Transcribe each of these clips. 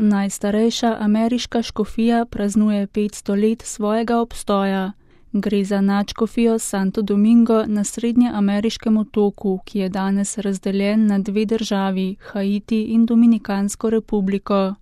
najstarejša ameriška škofija praznuje 500 let svojega obstoja. Gre za nadškofijo Santo Domingo na srednjeameriškem otoku, ki je danes razdeljen na 2 državi, Haiti in Dominikansko republiko.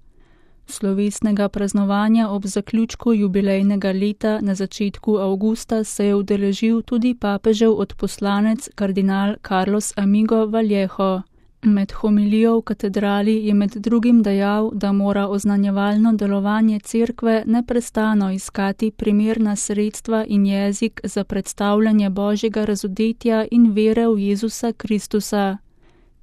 Slovesnega praznovanja ob zaključku jubilejnega leta na začetku avgusta se je udeležil tudi papežev odposlanec kardinal Carlos Amigo Vallejo. Med homilijo v katedrali je med drugim dejal, da mora oznanjevalno delovanje cerkve neprestano iskati primerna sredstva in jezik za predstavljanje Božjega razodetja in vere v Jezusa Kristusa.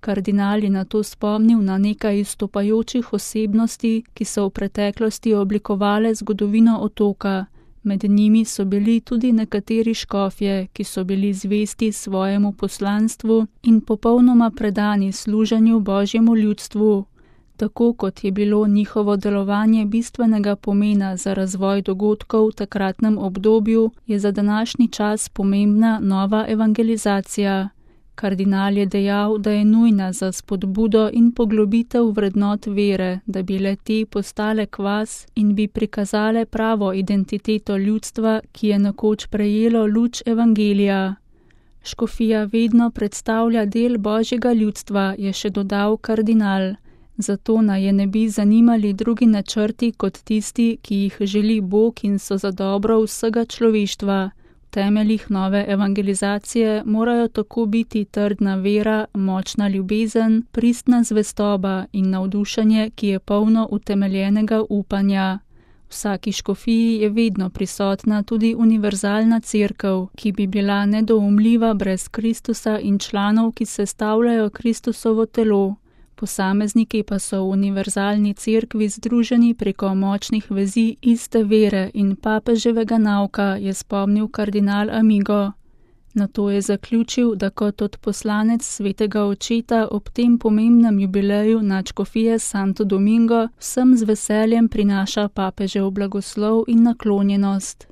Kardinal je nato spomnil na nekaj izstopajočih osebnosti, ki so v preteklosti oblikovale zgodovino otoka. Med njimi so bili tudi nekateri škofje, ki so bili zvesti svojemu poslanstvu in popolnoma predani služenju Božjemu ljudstvu. Tako kot je bilo njihovo delovanje bistvenega pomena za razvoj dogodkov v takratnem obdobju, je za današnji čas pomembna nova evangelizacija. Kardinal je dejal, da je nujna za spodbudo in poglobitev vrednot vere, da bi le-te postale kvas in bi prikazale pravo identiteto ljudstva, ki je nekoč prejelo luč evangelija. Škofija vedno predstavlja del Božjega ljudstva, je še dodal kardinal. Zato naj je ne bi zanimali drugi načrti kot tisti, ki jih želi Bog in so za dobro vsega človeštva. V temeljih nove evangelizacije morajo tako biti trdna vera, močna ljubezen, pristna zvestoba in navdušenje, ki je polno utemeljenega upanja. V vsaki škofiji je vedno prisotna tudi univerzalna cerkev, ki bi bila nedoumljiva brez Kristusa in članov, ki sestavljajo Kristusovo telo. Posamezniki pa so v univerzalni cerkvi združeni preko močnih vezi iste vere in papeževega nauka, je spomnil kardinal Amigo. Nato je zaključil, da kot odposlanec svetega očeta ob tem pomembnem jubileju nadškofije Santo Domingo vsem z veseljem prinaša papežev blagoslov in naklonjenost.